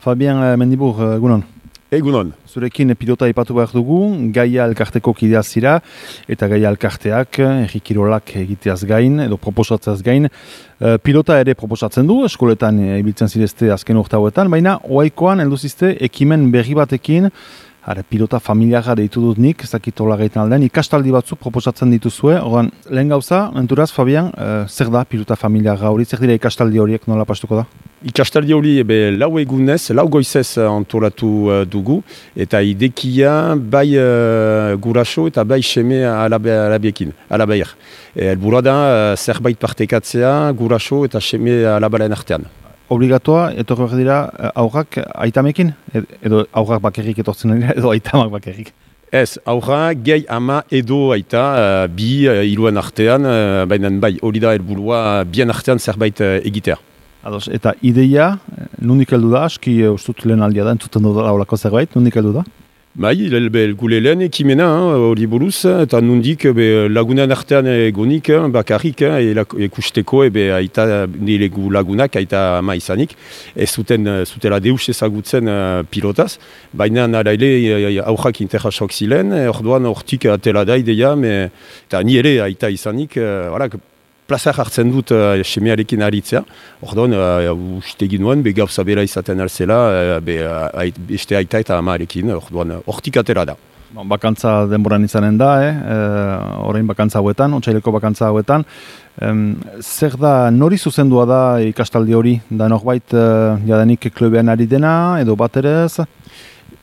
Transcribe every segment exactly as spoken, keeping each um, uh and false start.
Fabien Mendibur, egunon. Egunon. Zurekin pilota ipatu behar dugu, Gaia elkarteko kidea zira, eta Gaia elkarteak, erri kirolak egiteaz gain, edo proposatzeaz gain, pilota ere proposatzen du, eskoletan ibiltzen zirezte azken urte hauetan, baina oaikoan heldu zizte ekimen berri batekin, Hara, pilota familiara deitu dut nik, ez dakit hola gaitan aldean, ikastaldi batzu proposatzen dituzue. Ordan, lehen gauza, enturaz, Fabian, uh, zer da pilota familiara hori, zer dira ikastaldi horiek nola pastuko da? Ikastaldi hori ebe, lau egunez, lau goizez antolatu uh, dugu, eta idekia bai uh, guraso eta bai seme alabe, alabiekin, alabeir. E, Elburua da, uh, zerbait partekatzea guraso eta seme alabaren artean. Obligatoa, etorri behar dira, aurrak aitamekin? Edo aurrak bakerrik etortzen dira, edo aitamak bakerrik? Ez, aurrak, gehi ama edo aita, uh, bi uh, iluen artean, uh, baina bai, hori da helburua bien artean zerbait uh, egitea. Ados, eta ideia, nundik heldu da, aski ustut lehen aldia da, entzuten dut laulako zerbait, nundik heldu da? Bai, gule lehen ekimena, hori buruz, eta nundik be, lagunan artean egonik, bakarrik, ekusteko, ebe aita nire lagunak, aita ama izanik, ez zuten, zutela deus ezagutzen uh, pilotaz, baina nara ere aurrak interrasok zilen, orduan hortik atela da ideia, me, eta ni ere aita izanik, uh, voilà, plazar hartzen dut uh, semearekin aritzea. Orduan, uh, uste ginoen, be gauza bera izaten alzela, uh, be, uh, beste aita eta amarekin, orduan, hortik atera da. Bakantza denboran izanen da, eh? E, orain bakantza hauetan, otsaileko bakantza hauetan. Um, zer da, nori zuzendua da ikastaldi hori? Da norbait uh, jadanik klubean ari dena, edo bat ere ez?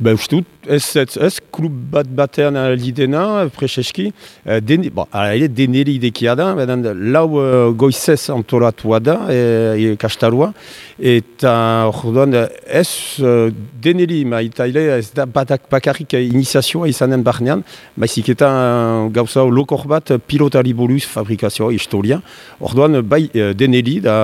Ba, uste dut, ez, ez, ez klub bat batean aldi dena, preseski, den, bon, ere deneri idekia da, beden, lau uh, goizez antolatua da, e, e, kastarua, eta orduan, ez uh, deneri, maita ere, ez da batak bakarrik iniziazioa izanen barnean, baizik eta uh, gauza lokor bat pilotari buruz fabrikazioa, historia, orduan, bai deneri, da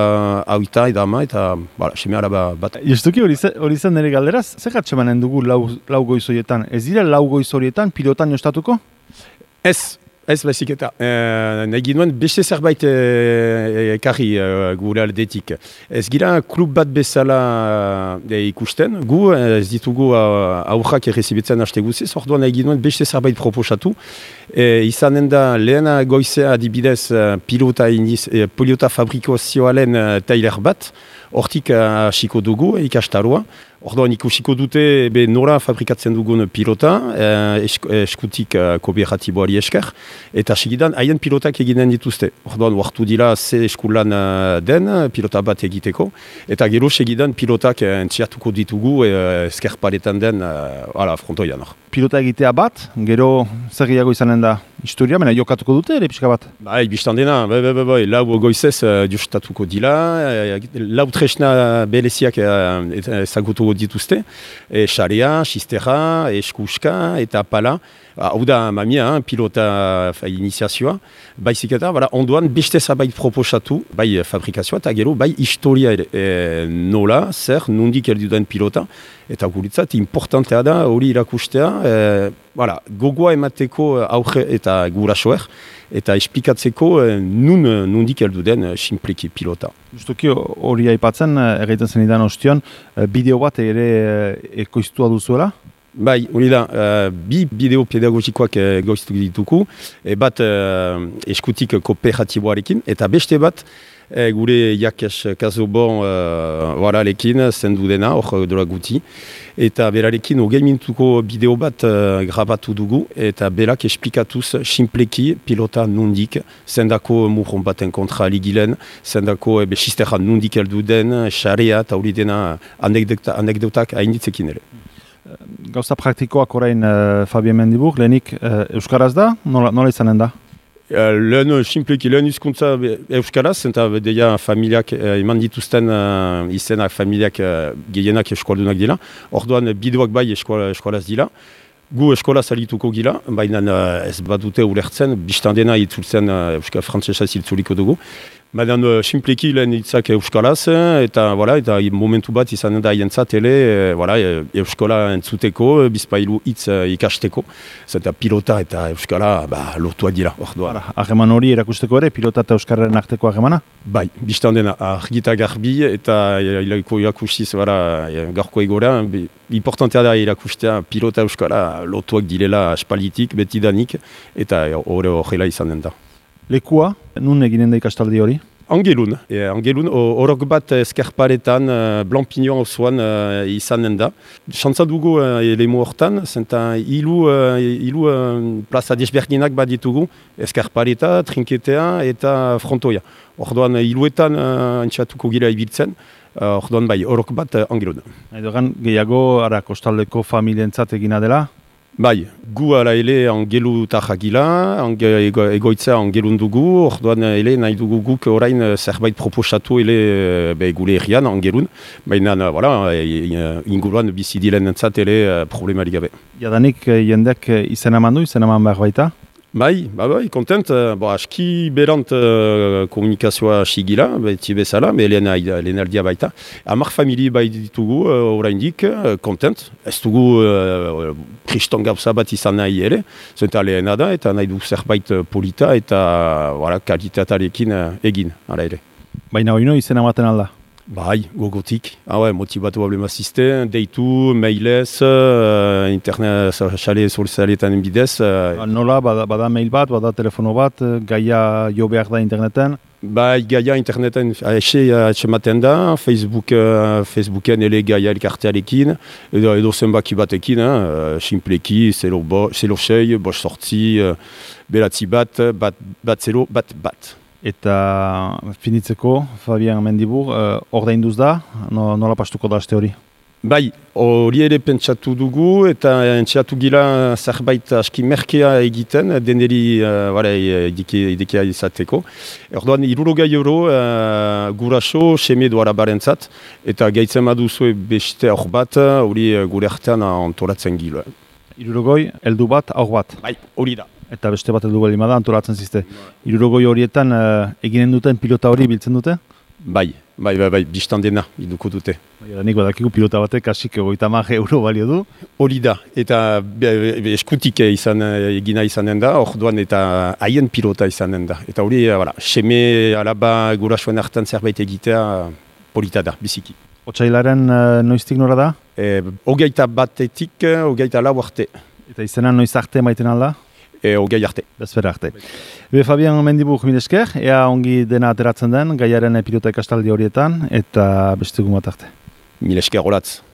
hauita edama, eta, bala, seme alaba bat. Justuki hori zen nire galderaz, zer gatxemanen dugu lau lau goiz horietan. Ez dira lau goiz horietan pilotan jostatuko? Ez, ez baizik eta. E, nahi ginoen beste zerbait ekarri e, e, gure aldetik. Ez gira klub bat bezala e, ikusten, gu ez ditugu aurrak errezibitzen haste guziz, orduan nahi ginoen beste zerbait proposatu. E, izanen da lehen goizea adibidez pilota, iniz, e, pilota fabrikazioaren tailer bat, hortik hasiko dugu ikastaroa. Orduan ikusiko dute be nora fabrikatzen dugun pilota, eh, esk, eskutik eh, kooperatiboari esker, eta segidan haien pilotak eginen dituzte. Orduan wartu dira ze eskulan uh, den pilota bat egiteko, eta gero segidan pilotak eh, entziatuko ditugu eh, esker paretan den uh, frontoian. Pilota egitea bat, gero zer gehiago izanen da historia, baina jokatuko dute ere pixka bat? Bai, biztan dena, bai, bai, bai, bai, lau goizez uh, justatuko dira, uh, lau tresna bereziak uh, ezagutuko dituzte, e, xarea, xistera, eskuska eta pala. Hau da mamia, pilota fa, iniziazioa, baizik eta ondoan beste zabait proposatu, bai fabrikazioa eta gero bai historia ere, e, nola, zer, nondik heldu den pilota, eta guritzat importantea da hori irakustea, e, voilà, gogoa emateko aurre eta gurasoer, eta esplikatzeko e, nun nondik heldu den simpleki pilota. Justuki hori aipatzen, egiten zenidan ostion, bideo bat ere ekoiztua duzuela? Bai, hori da, uh, bi bideo pedagogikoak uh, goiztu dituku, e bat uh, eskutik kooperatiboarekin, eta beste bat e, gure Jakes Kazobon uh, waralekin zendu dena, hor dola guti, eta berarekin hogei minutuko bideo bat uh, grabatu dugu, eta berak esplikatuz simpleki pilota nondik, zendako murron baten kontra ligilen, zendako ebe xisterra nondik heldu den, xarea eta hori dena anekdota, anekdotak hainitzekin ere. Gauza praktikoak orain uh, Fabien Mendibur, lehenik uh, Euskaraz da? Nola, nola izanen da? Uh, lehen simpleki, lehen hizkuntza Euskaraz, eta deia familiak uh, eman dituzten uh, izenak familiak uh, gehienak eskualdunak dira. Orduan bideoak bai eskualaz dira. Gu eskola salituko gila, baina uh, ez badute ulertzen, biztan dena itzultzen uh, Euskal Frantzesa ziltzuliko dugu. Baina uh, simpleki lehen hitzak euskalaz, eta, voilà, eta momentu bat izanen da hientzat ele, e, voilà, euskala entzuteko, bizpailu hitz uh, ikasteko. Zenta pilota eta euskala ba, lotuak dira, orduan. Hageman hori erakusteko ere, pilota eta euskarren arteko hagemana? Bai, biztan dena, argita garbi eta ilaiko irakustiz, gaurko egora, importantea da irakustea pilota euskala lotuak direla espalitik, betidanik, eta hori horrela izanen da. Lekua, nun eginen da ikastaldi hori? Angelun, e, Angelun, horok bat eskerparetan, uh, Blampignon osoan uh, izanen da. Xantza dugu uh, elemu hortan, zenta hilu, uh, hilu uh, plaza desberdinak bat ditugu, eskerpareta, trinketea eta frontoia. Orduan hiluetan uh, antxatuko gira ibiltzen, uh, orduan bai, horok bat uh, Angelun. Edogan, gehiago, ara, kostaldeko familientzat egina dela? Bai, gu ala ele angelu tajagila, ange, ego, egoitza angelun dugu, orduan ele nahi dugu guk orain zerbait proposatu ele be, gure errian angelun, baina voilà, inguruan bizidilen entzat ele problemari gabe. Jadanik jendek izan eman du, izan eman behar baita? Bai, bai, bai, kontent, bo, aski berant uh, komunikazioa sigila, beti bezala, be lehen, lehen aldia baita. Hamar famili bai ditugu uh, oraindik, uh, kontent, ez dugu uh, kriston gauza bat izan nahi ere, zenta lehena da, eta nahi du zerbait polita eta voilà, kalitatearekin uh, egin, ara ere. Baina hori no izan ematen alda? Bai, gogotik. Ah ouais, motibatu ablemazizte, deitu, mailez, uh, internet, xale solzaletan bidez. Uh, Nola, bada, bada mail bat, bada telefono bat, gaia jo behar da interneten? Bai, gaia interneten exe atxematen da, Facebook, uh, Facebooken ele gaia elkartearekin, edo, edo zenbaki batekin, uh, simpleki, zelo, bo, zelo sei, bos sortzi, uh, beratzi bat, bat, bat zelo, bat, bat. Eta finitzeko, Fabian Mendibur, ordainduz da, no, nola pastuko da aste hori? Bai, hori ere pentsatu dugu eta entxeatu gila zerbait aski merkea egiten, deneri uh, idekia izateko. Orduan, irurogei euro uh, guraso, seme doara barentzat, eta gaitzen baduzue beste aur bat, hori gure artean antolatzen gila. Irurogoi, heldu bat, aur bat? Bai, hori da. Eta beste bat heldu balima da, antolatzen zizte. Irurogoi horietan uh, eginen duten pilota hori biltzen dute? Bai, bai, bai, bai, biztan dena, iduko dute. Bai, nik badakigu pilota batek hasik egoita hamar euro balio du. Hori da, eta be, be, eskutik izan, egina izanen da, orduan eta haien pilota izanen da. Eta hori, voilà, seme alaba gurasoen hartan zerbait egitea polita da, biziki. Otsailaren uh, noiztik nora da? E, ogeita batetik, ogeita lau arte. Eta izena noiz arte maiten alda? E, ogei arte. Bezpera arte. Be, Fabian Mendibur mil esker, ea ongi dena ateratzen den, gaiaren pilota ikastaldi horietan, eta beste bat arte. Mil esker olatz.